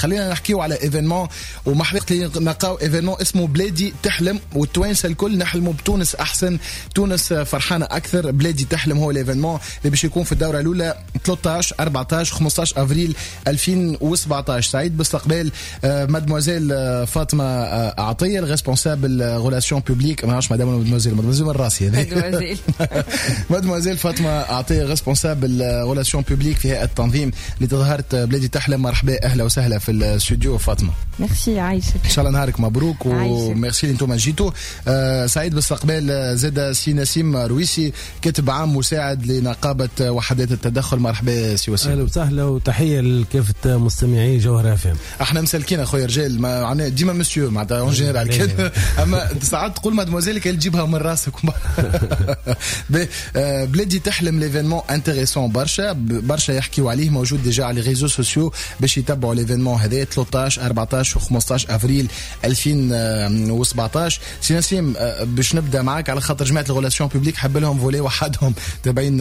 خلينا نحكيو على événement ومحبيت نلقاو événement اسمه بلادي تحلم، والتوانسه الكل نحلموا بتونس احسن، تونس فرحانة اكثر. بلادي تحلم هو l'événement اللي باش يكون في الدورة الاولى 13 14 15 افريل 2017. سعيد باستقبال مادموزيل فاطمة عطية، ال responsable relations publiques. ما نعرفش مدام ولا mademoiselle، mademoiselle من راسي. مادموزيل. مادموزيل فاطمة عطية، responsable relations publiques في هيئة التنظيم لتظاهره بلادي تحلم. مرحبا، اهلا وسهلا في الاستوديو فاطمه. ميرسي، عايشك. ان شاء الله نهارك مبروك وميرسي اللي انتم جيتوا. سعيد باستقبال زاد سي نسيم رويسي، كاتب عام مساعد لنقابه وحدات التدخل. مرحبا سي وسيم. اهلا وسهلا وتحية لكافة مستمعي جوهر اف ام. احنا مسالكين اخويا رجال، ما عنا ديما مسيو معناتها en général، اما ساعات تقول مادموزيل كان تجيبها من راسك. بلادي تحلم l'événement intéressant برشا برشا، يحكيوا عليه، موجود déjà على les réseaux sociaux باش يتبعوا l'événement هذا 13 14 و 15 افريل 2017. سي نسيم، باش نبدا معاك على خاطر جماعة ال relations publiques حب لهم volet وحدهم تابعين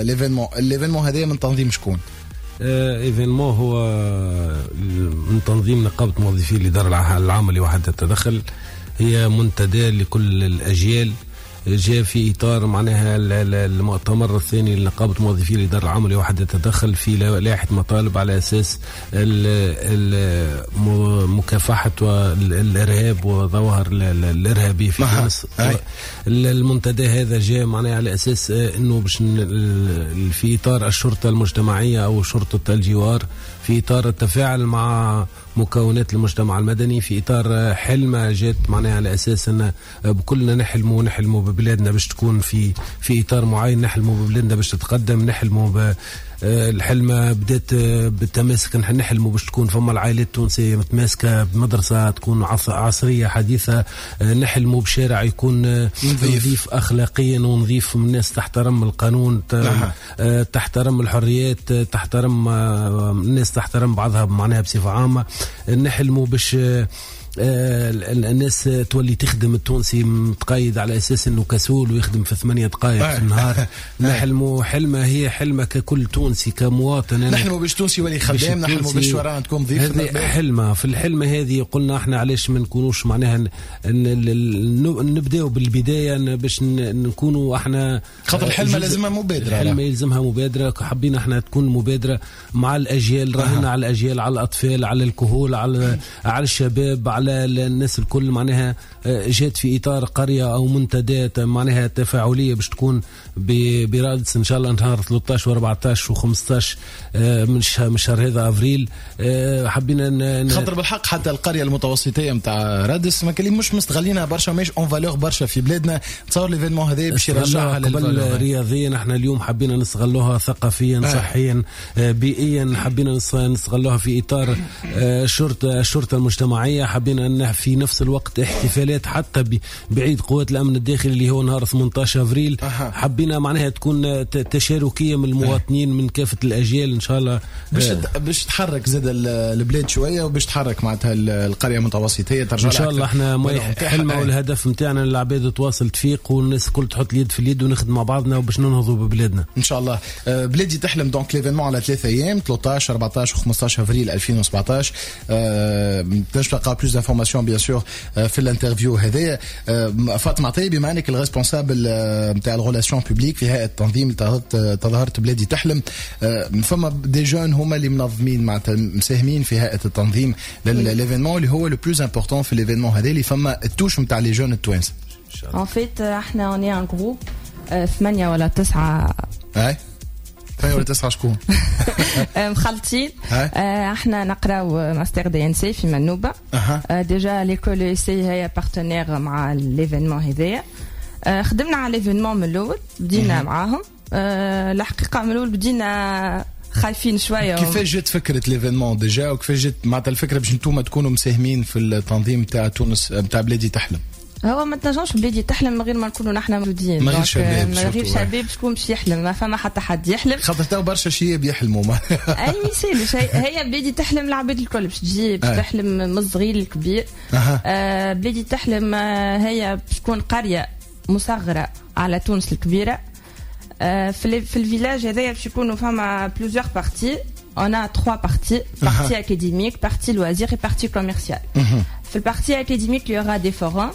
l'événement. l'événement هذا من تنظيم شكون؟ événement هو من تنظيم نقابة موظفي الادارة العامة لوحده التدخل. هي منتدى لكل الاجيال، جاء في اطار معناها المؤتمر الثاني لنقابه موظفي الادارة العامة لوحده التدخل في لائحة مطالب على اساس مكافحة الارهاب وظواهر الارهابية في تونس. المنتدى هذا جاء معناها على اساس انه باش في اطار الشرطة المجتمعية او شرطه الجوار، في اطار التفاعل مع مكونات المجتمع المدني، في اطار حلمه جات معناها على اساس ان بكلنا نحلموا، نحلموا ببلادنا باش تكون في اطار معين، نحلموا ببلادنا باش تتقدم، نحلموا الحلمة بدات بالتماسك، نحن نحلموا باش تكون فما العائلات التونسية متماسكة، بمدرسة تكون عصرية حديثة، نحلموا بشارع يكون نظيف أخلاقيا ونظيف، من الناس تحترم القانون، تحترم الحريات، تحترم الناس، تحترم بعضها معناها بصفة عامة. نحلموا باش الناس تولي تخدم، التونسي متقيد على اساس انه كسول ويخدم في 8 دقائق في النهار. نحلموا حلمه، هي حلمه ككل تونسي كمواطن. نحلموا باش تونسي يولي خدام، نحلموا باش شوارعنا تكون نظيفه. هذه حلمه. في الحلمة هذه قلنا احنا علاش ما نكونوش معناها نبداو بالبداية باش نكونوا احنا خاطر الحلمة لازمها مبادره. الحلمة يلزمها مبادره. حبينا احنا تكون مبادرة مع الاجيال، راهنا على الاجيال، على الاطفال، على الكهول، على الشباب، على الناس الكل. معناها جات في اطار قرية او منتدى معناها تفاعلية باش تكون برادس ان شاء الله نهار 13 و14 و15 من شهر هذا افريل. حبينا خاطر بالحق حتى القرية المتوسطيه نتاع رادس ما كان مش مستغلينها برشا، مش en valeur برشا في بلادنا. تصور l'événement هذا باش يرجعها. قبل رياضيا، احنا اليوم حبينا نستغلوها ثقافيا، صحيا، بيئيا. حبينا نستغلوها في اطار الشرطه المجتمعيه. حبينا ان في نفس الوقت احتفالات حتى بعيد قوات الامن الداخلي اللي هو نهار 18 افريل. حبينا معناها تكون تشاركيه من المواطنين من كافة الاجيال ان شاء الله. باش تحرك زاد البلاد شوية وباش تحرك معناتها القرية المتوسطيه ترجع. ان شاء الله احنا حلمه والهدف نتاعنا العباد تواصل تفيق والناس الكل تحط اليد في اليد ونخدم مع بعضنا وباش ننهضوا ببلادنا. ان شاء الله. بلادي تحلم donc l'événement على 3 ايام، 13 14 15 افريل 2017. تنجم تلقى plus d'informations bien sûr في l'interview هذايا. فاطمة عطية، بما انك ال responsable نتاع ال relations publiques في هيئة التنظيم تظاهرة بلادي تحلم، فما des jeunes هما اللي منظمين، معناتها مساهمين في هيئة التنظيم l'événement اللي هو le plus important في l'événement هذا اللي فما ال touche نتاع les jeunes التوانسه. En fait, احنا on est un groupe ثمانية ولا تسعة. اي، ثمانية ولا تسعة شكون؟ مخلطين. احنا نقراو mastère DNC في منوبة. Déjà l'école ESC هي partenaire مع l'événement هذايا. خدمنا على l'événement من الاول، بدينا معاهم. الحقيقة من الاول بدينا خايفين شويه. كيفاش جات فكرة l'événement déjà وكيفاش جات معناتها الفكرة باش انتم تكونوا مساهمين في التنظيم تاع تونس نتاع بلادي تحلم؟ هو ما تنجمش بلادي تحلم من غير ما نكونوا نحن موجودين. من غير شباب. من غير شباب شكون باش يحلم؟ ما فما حتى حد يحلم. خاطر تو برشا شياب يحلموا. ما اي ما هي بلادي تحلم العباد الكل باش تجي، باش تحلم من الصغير للكبير. بلادي تحلم هي باش تكون قرية مصغرة على تونس الكبيره. في ال village هذايا باش يكونوا فما plusieurs parties. On a trois parties, partie académique, partie loisir et partie commerciale. في ال partie académique, il y aura des forums.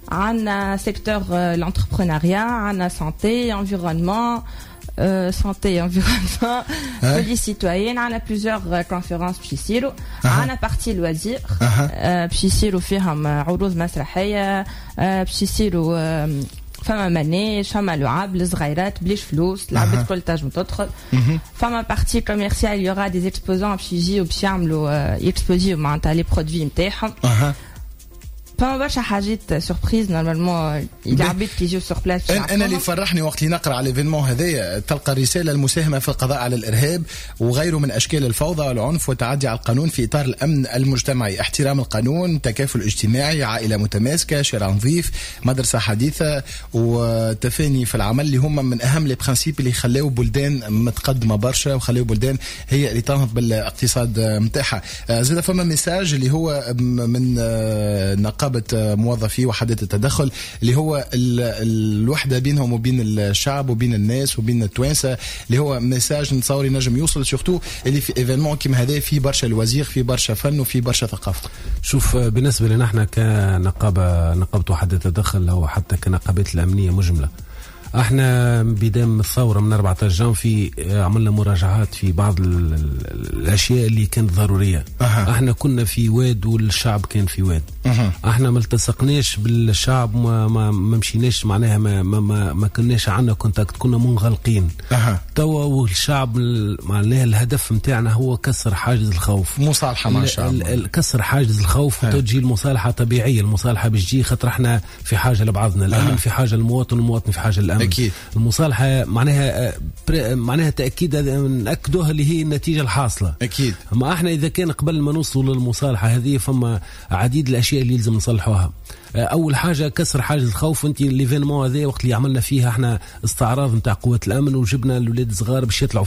عندنا secteur l'entrepreneuriat, عندنا santé, environnement, santé, environnement, police citoyenne, عندنا plusieurs conférences باش يصيروا. عندنا partie loisir باش يصيروا فيهم عروض مسرحية، باش يصيروا فما manège، فما لعاب للصغيرات بلاش فلوس، العباد الكل تنجم تدخل. فما partie commerciale، il y aura des exposants باش يجيو باش يعملوا يكسبوزيو معناتها les produits نتاعهم. فما برشا حاجات surprises، normalement العباد كي يجيو sur place. انا اللي فرحني وقت اللي نقرا على l'événement هذايا، تلقى رسالة المساهمة في القضاء على الارهاب وغيره من اشكال الفوضى والعنف والتعدي على القانون في اطار الامن المجتمعي، احترام القانون، تكافل اجتماعي، عائلة متماسكة، شارع نظيف، مدرسه حديثه، وتفاني في العمل، اللي هما من اهم les principes اللي خلاو بلدان متقدمة برشا وخلاو بلدان هي اللي تنهض بالاقتصاد نتاعها. زاد فما message اللي هو من نقابة موظفي وحدات التدخل، اللي هو الوحدة بينهم وبين الشعب وبين الناس وبين التوانسه، اللي هو message نتصور ينجم يوصل، surtout اللي في événement كيما هذا فيه برشا loisirs، فيه برشا فن وفيه برشا ثقافه. شوف، بالنسبة لنا احنا كنقابه، نقابة وحدات التدخل او حتى كنقابات الامنية مجمله، احنا بداية من الثورة من 14 جانفي عملنا مراجعات في بعض الاشياء اللي كانت ضروريه. احنا كنا في واد والشعب كان في واد. احنا ما التصقناش بالشعب، ما مشيناش معناها ما كناش عندنا contact، كنا منغلقين. توا والشعب معناها الهدف نتاعنا هو كسر حاجز الخوف، مصالحه مع الشعب، كسر حاجز الخوف وتجي المصالحة طبيعيه. المصالحة باش تجي خاطر احنا في حاجة لبعضنا، الامن في حاجة للمواطن والمواطن في حاجة للامن. أكيد. المصالحة معناها تاكيد ناكدوها اللي هي النتيجة الحاصلة. اكيد. اما احنا اذا كان قبل ما نوصلوا للمصالحة هذه فما عديد الاشياء اللي يلزم نصلحوها. اول حاجة كسر حاجز الخوف. انت l'événement هذا وقت اللي عملنا فيها احنا استعراض نتاع قوات الامن وجبنا الاولاد الصغار باش يطلعوا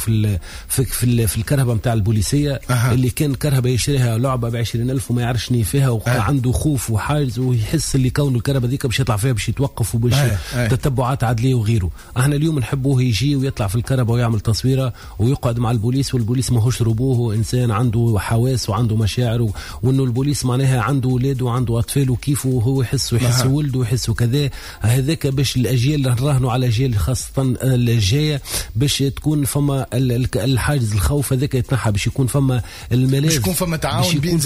في الكرهبه نتاع البوليسيه. اللي كان كرهبه يشريها لعبه ب 20000 وما يعرفش شنو فيها وعنده خوف وحاجز ويحس اللي كونه الكرهبه ذيك باش يطلع فيها باش يتوقف وباش تتبعات عدليه وغيره. احنا اليوم نحبوه يجي ويطلع في الكرهبه ويعمل تصويره ويقعد مع البوليس، والبوليس ماهوش روبوه، هو انسان عنده حواس وعنده مشاعر، وانه البوليس معناها عنده اولاد وعنده اطفال وكيف وهو يحس ويحس ولده ويحس وكذا. هذاك باش الاجيال نراهنوا على الاجيال خاصة الجاية باش تكون فما الحاجز الخوف هذاك يتنحى، باش يكون فما الملاذ، باش يكون فما تعاون بين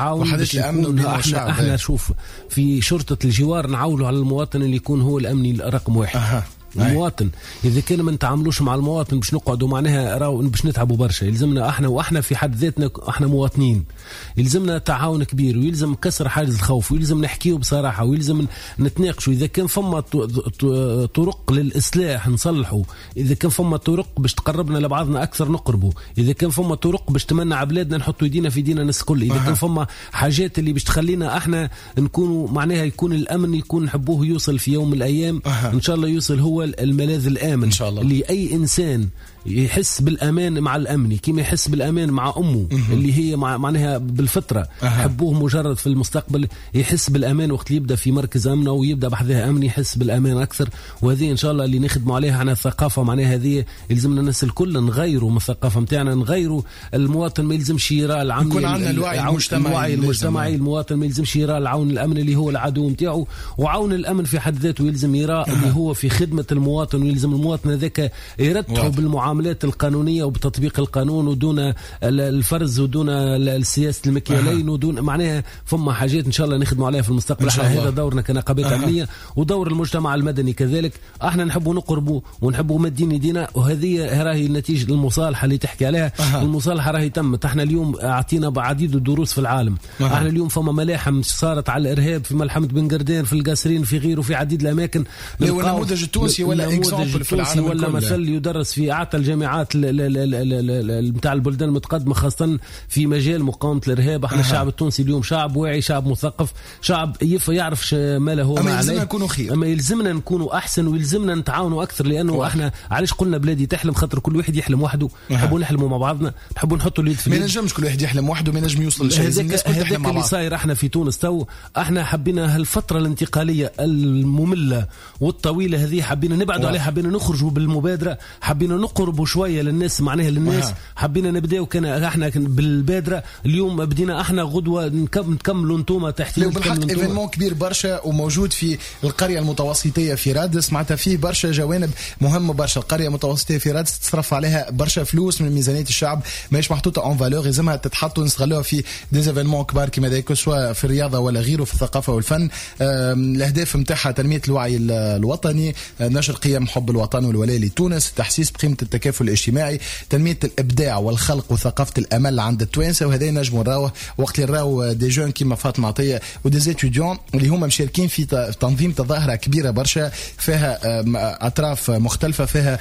وحدات الامن وبين الشعب. احنا شوف في شرطه الجوار نعولوا على المواطن اللي يكون هو الامني رقم واحد. المواطن اذا كان ما نتعاملوش مع المواطن باش نقعدوا معناها راهو باش نتعبوا برشا. يلزمنا احنا واحنا في حد ذاتنا احنا مواطنين، يلزمنا تعاون كبير ويلزم كسر حاجز الخوف ويلزم نحكيو بصراحة ويلزم نتناقشوا. اذا كان فما طرق للاصلاح نصلحوا، اذا كان فما طرق باش تقربنا لبعضنا اكثر نقربوا، اذا كان فما طرق باش تمنع بلادنا نحطوا يدينا في يدينا الناس الكل، اذا كان فما حاجات اللي باش تخلينا احنا نكونوا معناها يكون الامن يكون نحبوه يوصل في يوم من الايام. ان شاء الله يوصل هو الملاذ الآمن إن شاء الله، اللي أي إنسان يحس بالأمان مع الأمني كما يحس بالأمان مع أمه اللي هي معناها بالفطرة. حبوه مجرد في المستقبل يحس بالأمان وقت اللي يبدأ في مركز أمن أو يبدأ بحذاه أمن يحس بالأمان أكثر. وهذه إن شاء الله اللي نخدموا عليها على الثقافة معناها هذه يلزمنا الناس الكل نغيروا من الثقافة متاعنا، نغيروا المواطن ما يلزمش يرى العون، يكون عندنا الوعي المجتمعي. المواطن ما يلزمش يرى العون الأمن اللي هو العدو متاعه، وعون الأمن في حد ذاته يلزم يرى اللي هو في خدمة المواطن، ويلزم المواطن هذاك يرتحه بالمعاملات القانونية وبتطبيق القانون ودون الفرز ودون السياسة المكيالين ودون معناها فما حاجات إن شاء الله نخدموا عليها في المستقبل. هذا دورنا كنقابات أمنية ودور المجتمع المدني كذلك. احنا نحبوا نقربوا ونحبوا مدين يدينا، وهذه راهي النتيجة المصالحة اللي تحكي عليها. المصالحة راهي تمت. احنا اليوم اعطينا بعديد الدروس في العالم. احنا اليوم فما ملاحم صارت على الإرهاب في ملحمة بن قردان، في القصرين، في غيره، في عديد الأماكن. النموذج التونسي ولا exemple في العالم ولا مثل يدرس في اعتى الجامعات نتاع البلدان المتقدمة، خاصة في مجال مقاومة الارهاب. احنا الشعب التونسي اليوم شعب واعي، شعب مثقف، شعب يعرف ما له وما عليه. يلزمنا نكونوا خير، اما يلزمنا نكونوا احسن ويلزمنا نتعاونوا اكثر، لانه احنا علاش قلنا بلادي تحلم؟ خاطر كل واحد يحلم وحده. نحبوا نحلموا مع بعضنا، نحبوا نحطوا اليد في اليد. ما ينجمش كل واحد يحلم وحده، ما ينجم يوصل لشيء. هذاك اللي صاير احنا في تونس تو. احنا حبينا هالفترة الانتقالية الممله والطويله هذه حبينا نبعدوا عليها، حبينا نخرجوا بالمبادرة، حبينا نقربوا نقربوا شوية للناس، معناها للناس. حبينا نبداو كان احنا بالبادره، اليوم بدينا احنا، غدوه نكملوا انتوما تحت. بالحق événement كبير برشا وموجود في القرية المتوسطيه في رادس، معناتها فيه برشا جوانب مهمة برشا. القرية المتوسطيه في رادس تصرف عليها برشا فلوس من ميزانية الشعب، ماهيش محطوطة en valeur، لازمها تتحط ونستغلوها في des événements كبار كما ذاك، سواء في الرياضة ولا غيره، في الثقافة والفن. الاهداف نتاعها تنمية الوعي الوطني، نشر قيم حب الوطن والولاء لتونس، تحسيس بقيمة التكافل الاجتماعي، تنمية الابداع والخلق وثقافة الامل عند التوانسة. وهذا نجموا نراوه وقت اللي نراو des jeunes كيما فاطمة عطية و des étudiants اللي هما مشاركين في تنظيم تظاهرة كبيرة برشا فيها اطراف مختلفة، فيها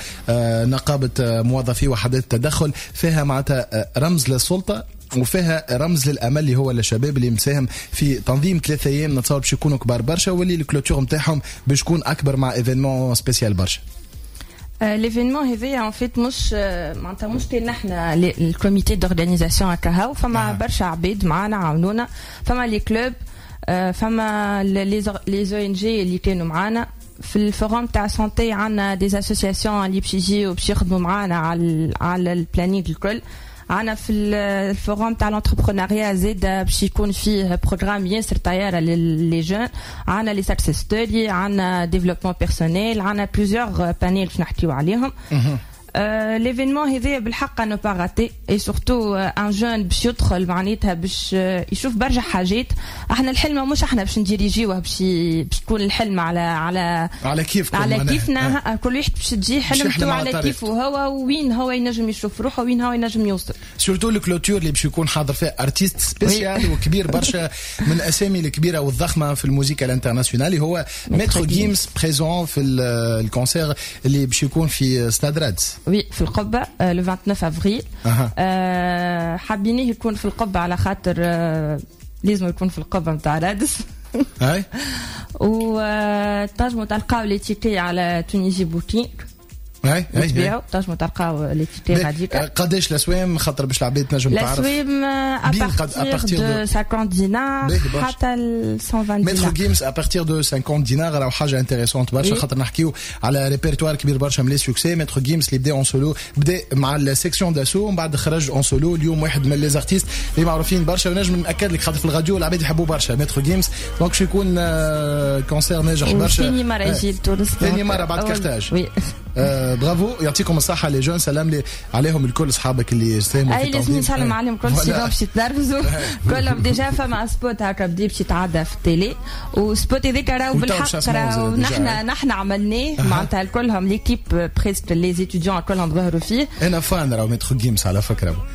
نقابة موظفي وحدات التدخل، فيها معناتها رمز للسلطة وفيها رمز للامل اللي هو للشباب اللي مساهم في تنظيم 3 ايام نتصور باش يكونوا كبار برشا، واللي ال clôture نتاعهم باش يكون اكبر مع événement spécial برشا. l'événement هذايا en fait مش معناتها مش كان نحن ال comité d'organisation هكا، فما برشا عباد معانا عاونونا، فما les clubs، فما les ONG اللي كانوا معانا في ال forum تاع santé، عندنا des associations اللي باش يجيو باش يخدموا معانا على ال planning الكل. عندنا في ال forum تاع l'entrepreneuriat زاد باش يكون فيه programme ياسر طيارة les jeunes، عندنا les success stories، عندنا développement personnel، عندنا plusieurs panels باش نحكيو عليهم. l'événement هذايا بالحق à ne pas rater، et surtout un jeune باش يدخل معناتها باش يشوف برشا حاجات. احنا الحلمة مش احنا باش نديريجيوه، باش تكون الحلمة على على كيفكم، على كيفنا، كل واحد باش تجي حلمته على كيفه هو، وين هو ينجم يشوف روحه، وين هو ينجم يوصل. surtout ال clôture اللي باش يكون حاضر فيه artiste spécial وكبير برشا من الاسامي الكبيرة والضخمه في الموسيقى ال internationale، هو Maître Gims présent في ال concert اللي باش يكون في ستاد رادس. oui، في القبة le 29 افريل. حابينيه يكون في القبة على خاطر لازم يكون في القبة نتاع رادس. اي وتنجموا تلقاو les tickets على Tunisie Booking. اي اي تبيعوا، تنجموا تلقاو les tickets غاديك. قداش الاسوام خاطر باش العباد تنجم تعرف؟ الاسوام à partir de 50 دينار حتى 120 دينار. Maître Gims à partir de 50 دينار، راهو حاجة intéressante برشا، خاطر نحكيو على ريبرتوار كبير برشا من les succès. Maître Gims اللي بدا en solo، بدا مع ال Sexion d'Assaut ومن بعد خرج en solo، اليوم واحد من les artistes اللي معروفين برشا، ونجم ناكد لك خاطر في الراديو العباد يحبوا برشا Maître Gims، donc باش يكون concert ناجح برشا. ثاني مرة يجي لتونس، ثاني مرة بعد كارتاج. oui، برافو، يعطيكم الصحة les jeunes، سلام لي عليهم الكل اصحابك اللي ساهموا في التنظيم. اي لازم نسلم عليهم الكل، sinon باش يتنرفزوا كلهم. déjà فما spot هكا بدا باش يتعدى في ال télé، و spot هذاك راهو بالحق راهو نحن عملناه، معناتها كلهم l'équipe presque les étudiants كلهم ظهروا فيه. انا fan راهو Maître Gims على فكرة.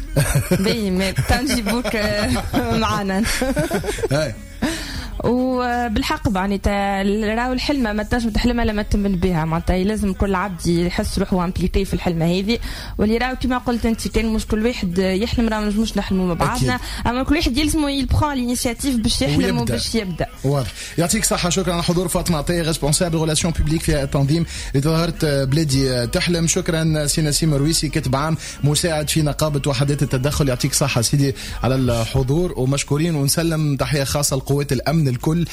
باهي، تنجيبوك معنا. وبالحق معناتها راهو الحلمة ما تنجم تحلمها لما تمن بها، معناتها لازم كل عبد يحس روحه impliqué في الحلمة هذه. واللي راهو كيما قلت انت، كان مش كل واحد يحلم، راهو نجموش نحلموا مع بعضنا، اما كل واحد يلزمو il prend l'initiative باش يحلم وباش يبدا. واضح، يعطيك صحة، شكرا على حضور فاطمة عطية، responsable relations publiques في التنظيم لتظاهره بلادي تحلم. شكرا سي نسيم رويسي، كاتب عام مساعد في نقابة وحدات التدخل، يعطيك صحة سيدي على الحضور ومشكورين. ونسلم تحية خاصة لقوات الامن الكل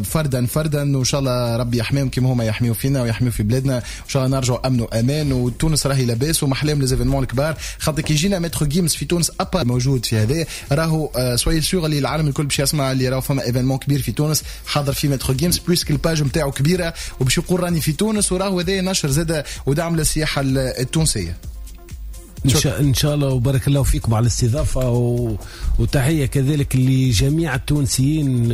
فردا فردا، وان شاء الله ربي يحميهم كما هما يحميوا فينا ويحميوا في بلادنا، وان شاء الله نرجعوا امن وامان وتونس راهي لاباس ومحلاهم les événements الكبار. خاطر كي يجينا Maître Gims في تونس ابا موجود في هذا، راهو soyez sûrs اللي العالم الكل باش يسمع اللي راهو فما événement كبير في تونس حاضر فيه Maître Gims، puisque ال page نتاعو كبيرة وباش يقول راني في تونس، وراهو هذا نشر زاد ودعم للسياحة التونسية. إن شاء الله، وبارك الله فيكم على الاستضافة، وتحية كذلك لجميع التونسيين،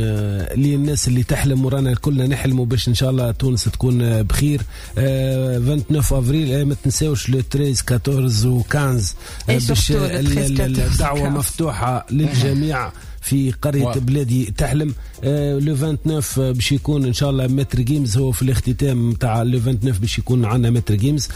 للناس اللي تحلم، ورانا كلنا نحلموا باش إن شاء الله تونس تكون بخير. 29 أفريل، ما تنساوش le 13 14 و 15 باش الدعوة مفتوحة للجميع في قرية بلادي تحلم. le 29 باش يكون ان شاء الله Maître Gims، هو في الاختتام تاع le 29 باش يكون عندنا Maître Gims.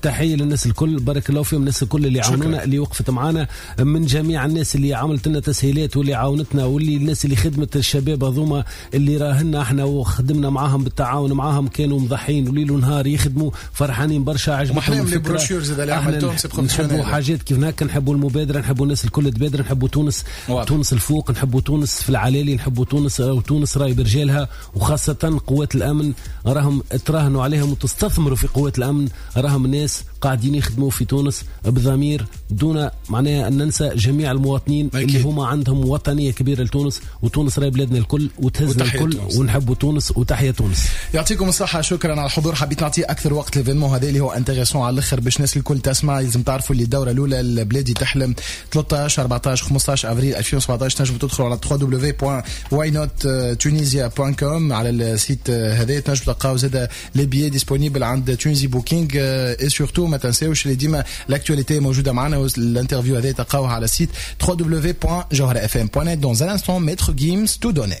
تحية للناس الكل، بارك الله فيهم الناس الكل اللي عاونونا، اللي وقفت معنا، من جميع الناس اللي عملت لنا تسهيلات واللي عاونتنا، واللي الناس اللي خدمت الشباب هذوما اللي راهنا احنا وخدمنا معاهم بالتعاون معاهم، كانوا مضحين وليل ونهار يخدموا، فرحانين برشا، عجبتهم الفكرة. نحبوا حاجات كيف هكا، نحبوا المبادرة، نحبوا الناس الكل تبادر، نحبوا تونس، تونس الفوق. الفوق، نحبوا تونس في العلالي، نحبوا تونس وتونس راي برجالها، وخاصة قوات الأمن راهم تراهنوا عليهم وتستثمروا في قوات الأمن، راهم ناس قاعدين يخدموا في تونس بضمير، دون معناها أن ننسى جميع المواطنين اللي هما عندهم وطنية كبيرة لتونس، وتونس راي بلادنا الكل وتهزنا الكل، ونحبوا تونس وتحيا تونس. يعطيكم الصحة، شكرا على الحضور. حبيت نعطي أكثر وقت l'événement هذا اللي هو intéressant على الآخر باش الناس الكل تسمع. لازم تعرفوا اللي الدورة الأولى البلادي تحلم 13 14 15 افريل 2017، تنجموا تدخلوا على www.whynottunisia.com على ال site هذا، تنجموا تلقاو زاد les billets disponibles عند Tunisie Booking. et surtout ما تنساوش اللي ديما l'actualité موجودة معنا، وال interview هذا تلقاوها على ال site www.jawharafm.net. Dans un instant, Maître Gims, tout donné.